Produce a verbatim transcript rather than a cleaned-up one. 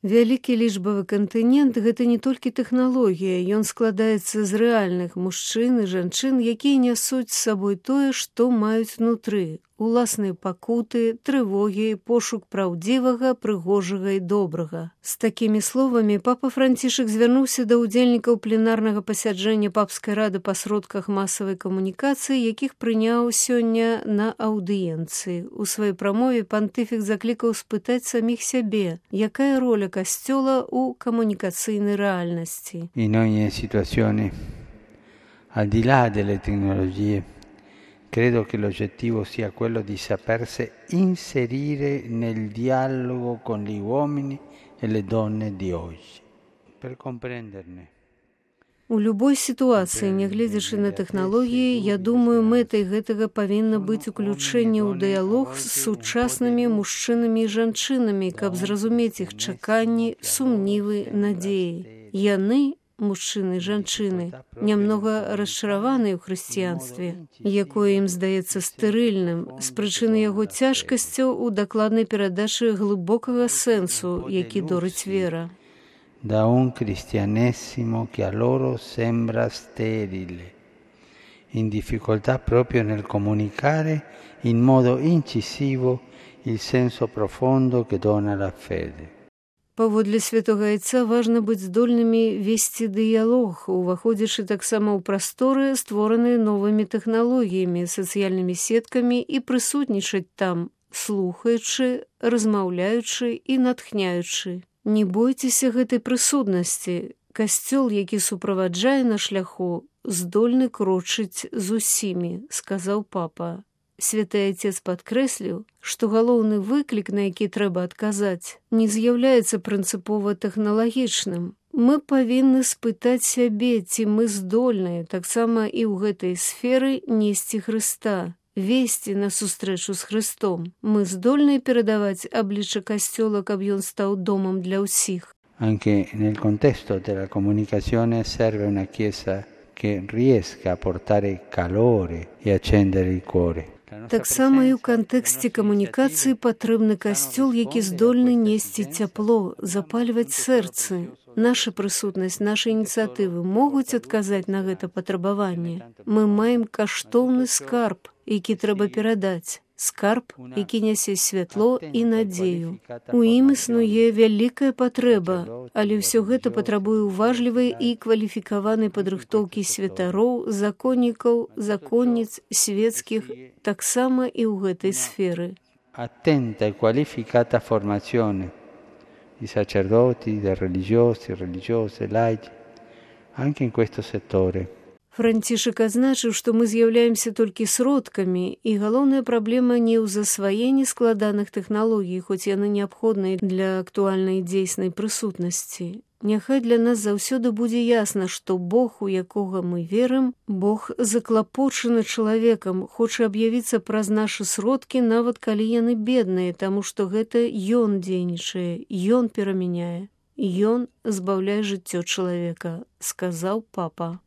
Вялікі лічбавы кантынент – гэта не толькі тэхналогія, ён складаецца з рэальных мужчын і жанчын, якія нясуць з сабой тое, што маюць унутры, уласныя пакуты, трывогі, пошук праўдзівага, прыгожага і добрага. З такімі словамі папа Францішак звярнуўся да ўдзельнікаў пленарнага пасяджэння папскай рады па сродках масавай камунікацыі, якіх прыняў сёння на аўдыенцыі. У сваёй прамове пантыфік заклікаў спытаць саміх сябе, якая роля касцёла ў камунікацыйнай рэальнасці. In ogni situazione, al di là delle tecnologie, credo che l'oggettivo sia quello di sapersi inserire nel dialogo con gli uomini e le donne di oggi, per comprenderne. У любой сітуацыі, нягледзячы на тэхналогіі, я думаю, мэтай гэтага павінна быць уключэнне ў дыялог з сучаснымі мужчынамі і жанчынамі, каб зразумець іх чаканні, сумнівы, надзеі. Яны, мужчыны і жанчыны, нямнога расчараваныя ў хрысціянстве, якое ім здаецца стэрыльным, з прычыны яго цяжкасцяў у дакладнай перадачы глыбокага сэнсу, які дорыць вера. Da un cristianesimo che a loro sembra sterile, in difficoltà proprio nel comunicare in modo incisivo il senso profondo che dona la fede. Паводле святога Айца важна быць здольнымі весці дыялог, уваходзячы таксама ў прасторы, створаныя новымі тэхналогіямі, сацыяльнымі сеткамі і прысутнічаць там, слухаючы, размаўляючы і натхняючы. Не бойцеся гэтай прысутнасці. Касцёл, які суправаджае на шляху, здольны крочыць з усімі, сказаў папа. Святы Айцец падкрэсліў, што галоўны выклік, на які трэба адказаць, не з'яўляецца прынцыпова тэхналагічным. Мы павінны спытаць сябе, ці мы здольныя таксама і ў гэтай сферы несці Хрыста, весці на сустрэчу з Христом. Мы здольныя перадаваць аблічча касцёла, каб ён стаў домам для ўсіх. Anche nel contesto della comunicazione serve una chiesa che riesca a portare calore e accendere il cuore. Таксама і ў кантэксце камунікацыі патрэбны касцёл, які здольны несці цяпло, запальваць сэрцы. Наша прысутнасць, нашы ініцыятывы могуць адказаць на гэта патрабаванне. Мы маем каштоўны скарб, які трэба перадаць. Скарб, які нясе святло і надзею. У ім існуе вялікая патрэба, але ўсё гэта патрабуе уважлівай і кваліфікаванай падрыхтоўкі святароў, законнікаў, законніц, свецкіх, таксама і ў гэтай сферы. Attenta e qualificata formazione di sacerdoti, di religiosi, religiose, laici, anche in questo settore. Францішак адзначыў, што мы з'яўляемся толькі сродкамі, і галоўная праблема не ў засваенні складаных тэхналогій, хоць яны неабходныя для актуальнай дзейснай прысутнасці. Няхай для нас заўсёды будзе ясна, што Бог, у якога мы верым, Бог заклапочаны чалавекам, хоча аб'явіцца праз нашы сродкі, нават калі яны бедныя, таму што гэта Ён дзейнічае, Ён перамяняе, Ён збаўляе жыццё чалавека, сказаў папа.